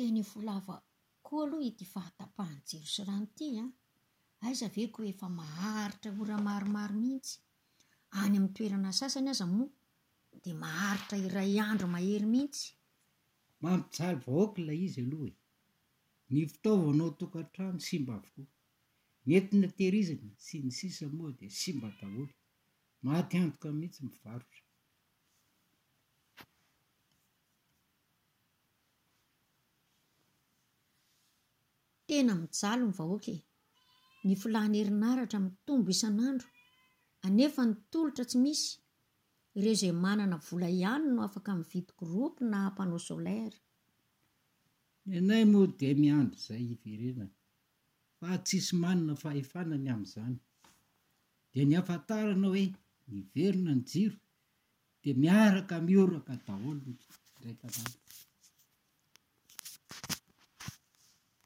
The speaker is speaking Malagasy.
Tena efa ho lava koa aloha ity fahatapahan'ny jiro sy rano ity an! Aiza ve ko efa maharitra ora maromaro mihitsy. Any amin'ny toerana sasany aza moa dia maharitra iray andro mahery mihitsy. Mampijaly vahoaka ilay izy aloha e! Ny fitaovana ao an-tokantrano simba avokoa. Ny entina tehirizina sy ny sisa moa dia simba daholo. Maty antoka mihitsy mivarotra. Tena mijaly ny vahoaka e! Ny filàna herinaratra mitombo isan'andro, anefa ny tolotra tsy misy. Ireo izay manana vola ihany no afaka mividy groupe na panneau solaire. Ny anay moa dia miandry izay hiverenana fa tsisy manana fahefana ny amin'izany. Dia ny hafantarana hoe niverina ny jiro dia miaraka mihoraka daholo ny mpiray tanàna.